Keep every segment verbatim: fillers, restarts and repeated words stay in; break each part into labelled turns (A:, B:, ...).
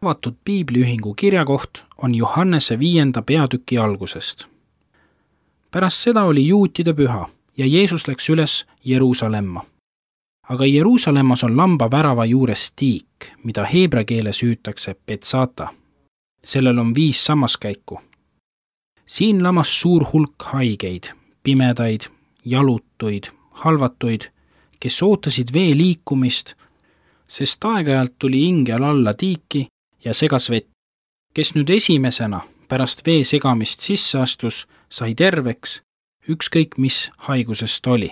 A: Avatud piibliühingu kirjakoht on Johannese viienda peatüki algusest. Pärast seda oli juutide püha ja Jeesus läks üles Jeruusalemma. Aga Jeruusalemmas on lamba värava juures tiik, mida heebra keeles hüütakse Betsata. Sellel on viis sammaskäiku. Siin lamas suur hulk haigeid, pimedaid, jalutuid, halvatuid, kes ootasid vee liikumist, sest aeg-ajalt tuli ingel alla tiiki ja segas vett. Kes nüüd esimesena pärast vee segamist sisse astus, sai terveks, ükskõik mis haigusest oli.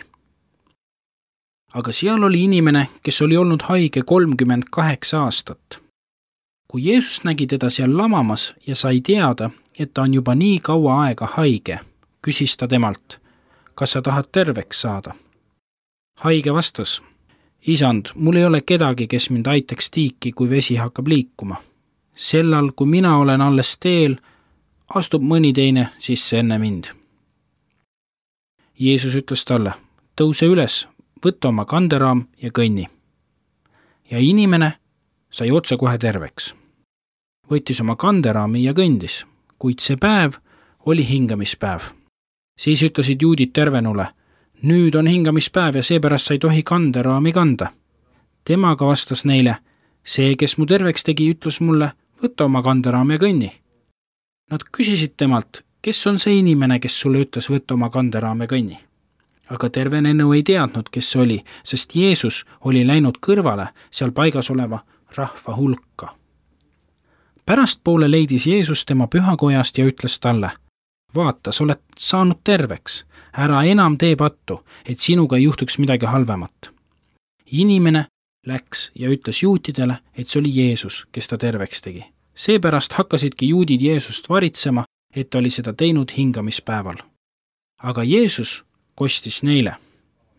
A: Aga seal oli inimene, kes oli olnud haige kolmkümmend kaheksa aastat. Kui Jeesus nägi teda seal lamamas ja sai teada, et ta on juba nii kaua aega haige, küsis ta temalt, kas sa tahad terveks saada? Haige vastas, isand, mul ei ole kedagi, kes mind aitaks tiiki, kui vesi hakkab liikuma. Sellal, kui mina olen alles teel, astub mõni teine sisse enne mind. Jeesus ütles talle, tõuse üles, võtta oma kanderaam ja kõnni. Ja inimene sai otse kohe terveks. Võttis oma kanderaami ja kõndis, kuid see päev oli hingamispäev. Siis ütlesid juudid tervenule, nüüd on hingamispäev ja seepärast sa ei tohi kanderaami kanda. Temaga vastas neile, see, kes mu terveks tegi, ütles mulle, võtta oma kanderaam ja kõnni. Nad küsisid temalt, kes on see inimene, kes sulle ütles võtta oma kanderaam ja kõnni. Aga tervenenu ei teadnud, kes see oli, sest Jeesus oli läinud kõrvale seal paigas oleva rahva hulka. Pärastpoole leidis Jeesus tema pühakojast ja ütles talle, vaata, sa oled saanud terveks, ära enam tee pattu, et sinuga ei juhtuks midagi halvemat. Inimene läks ja ütles juutidele, et see oli Jeesus, kes ta terveks tegi. Seepärast hakkasidki juudid Jeesust varitsema, et ta oli seda teinud hingamispäeval. Aga Jeesus kostis neile,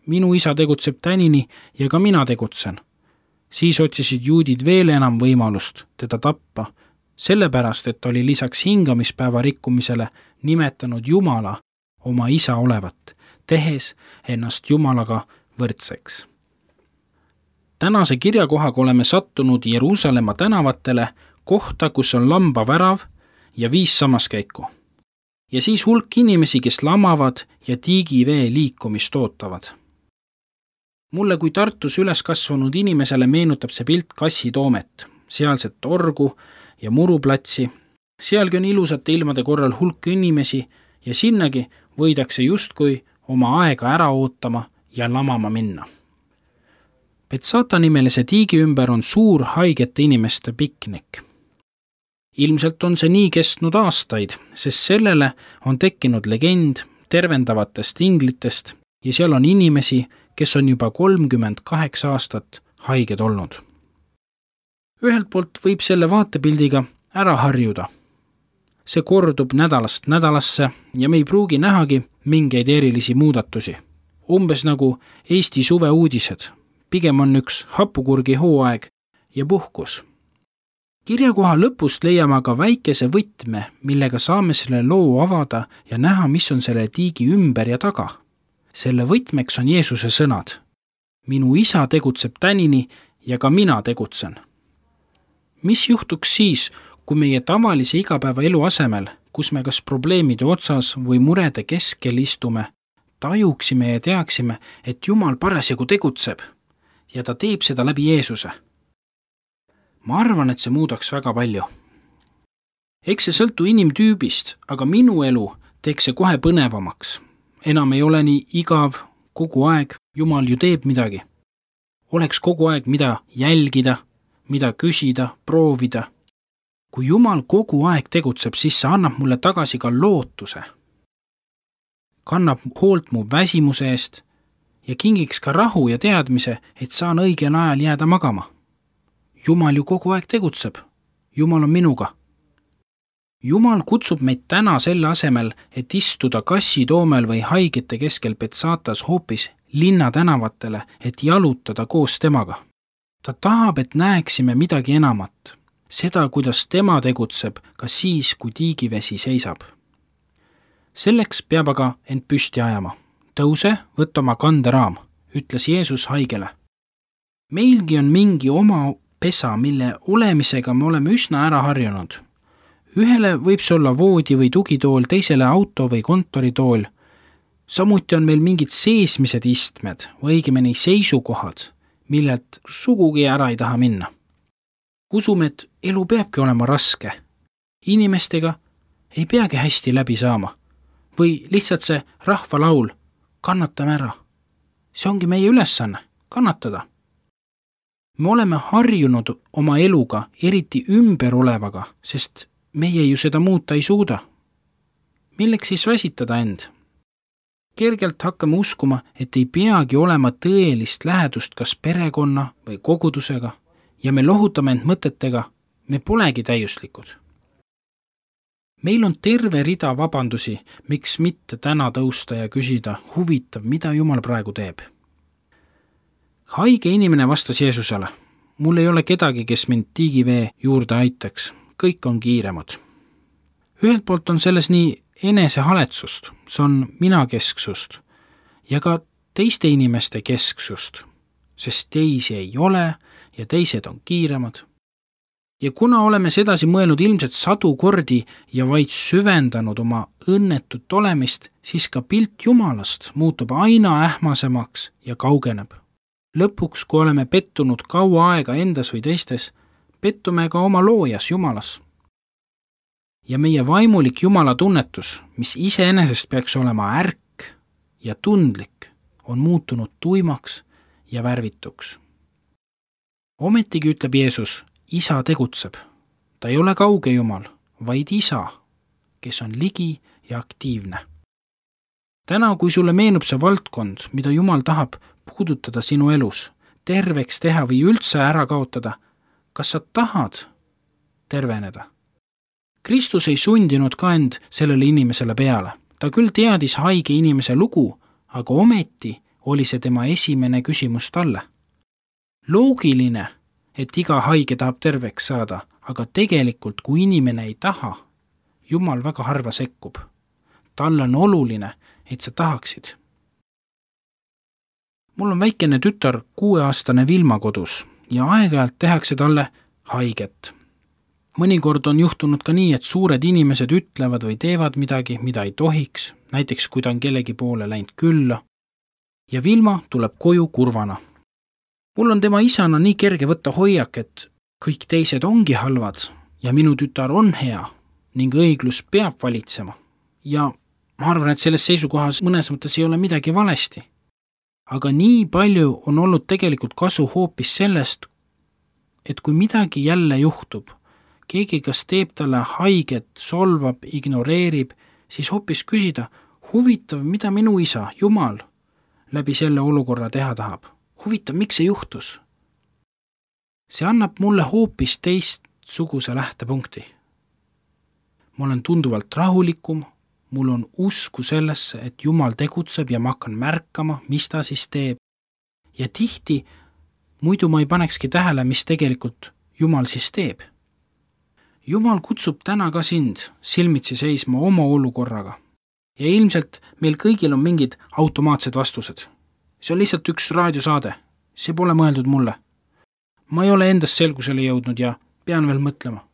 A: minu isa tegutseb tänini ja ka mina tegutsen. Siis otsisid juudid veel enam võimalust teda tappa, sellepärast, et ta oli lisaks hingamispäeva rikkumisele nimetanud Jumala oma isa olevat, tehes ennast Jumalaga võrdseks. Tänase kirjakohaga oleme sattunud Jeruusalemma tänavatele, kohta, kus on lamba värav ja viis sammaskäiku. Ja siis hulk inimesi, kes lamavad ja tiigivee liikumist ootavad. Mulle kui Tartus üles kasvanud inimesele meenutab see pilt Kassitoomet, sealset orgu ja muruplatsi. Sealgi on ilusate ilmade korral hulk inimesi ja sinnagi võidakse justkui oma aega ära ootama ja lamama minna. Betsata nimelise tiigi ümber on suur haigete inimeste piknik. Ilmselt on see nii kestnud aastaid, sest sellele on tekkinud legend tervendavatest inglitest ja seal on inimesi, kes on juba kolmkümmend kaheksa aastat haiged olnud. Ühelt poolt võib selle vaatepildiga ära harjuda. See kordub nädalast nädalasse ja me ei pruugi nähagi mingeid erilisi muudatusi. Umbes nagu Eesti suve uudised. Pigem on üks hapukurgi hooaeg ja puhkus. Kirjakoha lõpust leiame aga väikese võtme, millega saame selle loo avada ja näha, mis on selle tiigi ümber ja taga. Selle võtmeks on Jeesuse sõnad. Minu isa tegutseb tänini ja ka mina tegutsen. Mis juhtuks siis, kui meie tavalise igapäeva elu asemel, kus me kas probleemide otsas või murede keskel istume, tajuksime ja teaksime, et Jumal parasjagu tegutseb ja ta teeb seda läbi Jeesuse? Ma arvan, et see muudaks väga palju. Eks see sõltu inimtüübist, aga minu elu teeks see kohe põnevamaks. Enam ei ole nii igav kogu aeg, Jumal ju teeb midagi. Oleks kogu aeg mida jälgida, mida küsida, proovida. Kui Jumal kogu aeg tegutseb, siis see annab mulle tagasi ka lootuse. Kannab hoolt mu väsimuse eest ja kingiks ka rahu ja teadmise, et saan õigel ajal jääda magama. Jumal ju kogu aeg tegutseb. Jumal on minuga. Jumal kutsub meid täna selle asemel, et istuda Kassitoomel või haigete keskel Betsatas hoopis linna tänavatele, et jalutada koos temaga. Ta tahab, et näeksime midagi enamat. Seda, kuidas tema tegutseb ka siis, kui tiigivesi seisab. Selleks peab aga end püsti ajama. Tõuse, võtta oma kanderaam, ütles Jeesus haigele. Meilgi on mingi oma pesa, mille olemisega me oleme üsna ära harjunud. Ühele võib see olla voodi või tugitool, teisele auto või kontoritool. Samuti on meil mingid seesmised istmed või õigemini seisukohad, millelt sugugi ära ei taha minna. Usume, et elu peabki olema raske. Inimestega ei peagi hästi läbi saama. Või lihtsalt see rahvalaul, kannatame ära. See ongi meie ülesanne, kannatada. Me oleme harjunud oma eluga, eriti ümber olevaga, sest meie ju seda muuta ei suuda. Milleks siis väsitada end? Kergelt hakkame uskuma, et ei peagi olema tõelist lähedust kas perekonna või kogudusega ja me lohutame end mõtetega, me polegi täiuslikud. Meil on terve rida vabandusi, miks mitte täna tõusta ja küsida, huvitav, mida Jumal praegu teeb. Haige inimene vastas Jeesusele, mul ei ole kedagi, kes mind tiigivee juurde aitaks, kõik on kiiremad. Ühelt poolt on selles nii enesehaletsust, see on minakesksust ja ka teiste inimeste kesksust, sest teisi ei ole ja teised on kiiremad. Ja kuna oleme sedasi mõelnud ilmselt sadu kordi ja vaid süvendanud oma õnnetut olemist, siis ka pilt Jumalast muutub aina ähmasemaks ja kaugeneb. Lõpuks, kui oleme pettunud kaua aega endas või teistes, pettume ka oma loojas Jumalas. Ja meie vaimulik Jumala tunnetus, mis iseenesest peaks olema ärk ja tundlik, on muutunud tuimaks ja värvituks. Ometigi ütleb Jeesus, Isa tegutseb. Ta ei ole kauge Jumal, vaid Isa, kes on ligi ja aktiivne. Täna, kui sulle meenub see valdkond, mida Jumal tahab puudutada sinu elus, terveks teha või üldse ära kaotada, kas sa tahad terveneda? Kristus ei sundinud ka end sellele inimesele peale. Ta küll teadis haige inimese lugu, aga ometi oli see tema esimene küsimus talle. Loogiline, et iga haige tahab terveks saada, aga tegelikult, kui inimene ei taha, Jumal väga harva sekkub. Talle on oluline, et sa tahaksid. Mul on väikene tütar kuueaastane Vilma kodus ja aeg-ajalt tehakse talle haiget. Mõnikord on juhtunud ka nii, et suured inimesed ütlevad või teevad midagi, mida ei tohiks, näiteks kui ta on kellegi poole läinud külla, ja Vilma tuleb koju kurvana. Mul on tema isana nii kerge võtta hoiak, et kõik teised ongi halvad ja minu tütar on hea ning õiglus peab valitsema. Ja ma arvan, et selles seisukohas mõnes mõttes ei ole midagi valesti. Aga nii palju on olnud tegelikult kasu hoopis sellest, et kui midagi jälle juhtub, keegi kas teeb talle haiget, solvab, ignoreerib, siis hoopis küsida, huvitav, mida minu isa, Jumal, läbi selle olukorra teha tahab. Huvitav, miks see juhtus? See annab mulle hoopis teistsuguse lähtepunkti. Ma olen tunduvalt rahulikum, mul on usku sellesse, et Jumal tegutseb ja ma hakkan märkama, mis ta siis teeb. Ja tihti muidu ma ei panekski tähele, mis tegelikult Jumal siis teeb. Jumal kutsub täna ka sind silmitsi seisma oma olukorraga. Ja ilmselt meil kõigil on mingid automaatsed vastused. See on lihtsalt üks raadiosaade. See pole mõeldud mulle. Ma ei ole endast selgusele jõudnud ja pean veel mõtlema.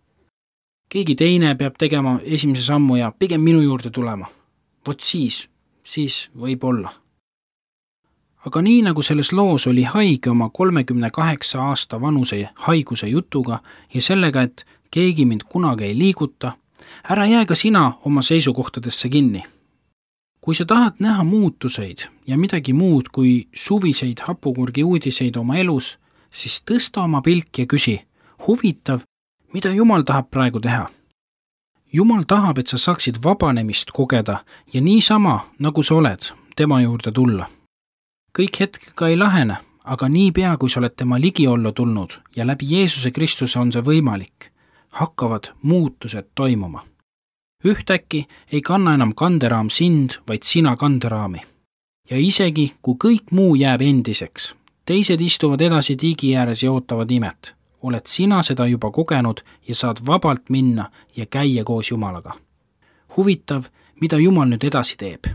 A: Keegi teine peab tegema esimese sammu ja pigem minu juurde tulema. Vot siis, siis võib olla. Aga nii nagu selles loos oli haige oma kolmekümne kaheksa aasta vanuse haiguse jutuga ja sellega, et keegi mind kunagi ei liiguta, ära jää ka sina oma seisukohtadesse kinni. Kui sa tahad näha muutuseid ja midagi muud kui suviseid hapukurgi uudiseid oma elus, siis tõsta oma pilk ja küsi, huvitav, mida Jumal tahab praegu teha. Jumal tahab, et sa saaksid vabanemist kogeda ja niisama, nagu sa oled, tema juurde tulla. Kõik hetkega ei lahene, aga niipea, kui sa oled tema ligi olla tulnud ja läbi Jeesuse Kristuse on see võimalik, hakkavad muutused toimuma. Ühtäkki ei kanna enam kanderaam sind, vaid sina kanderaami. Ja isegi, kui kõik muu jääb endiseks, teised istuvad edasi tiigi ääres ja ootavad imet, oled sina seda juba kogenud ja saad vabalt minna ja käia koos Jumalaga. Huvitav, mida Jumal nüüd edasi teeb.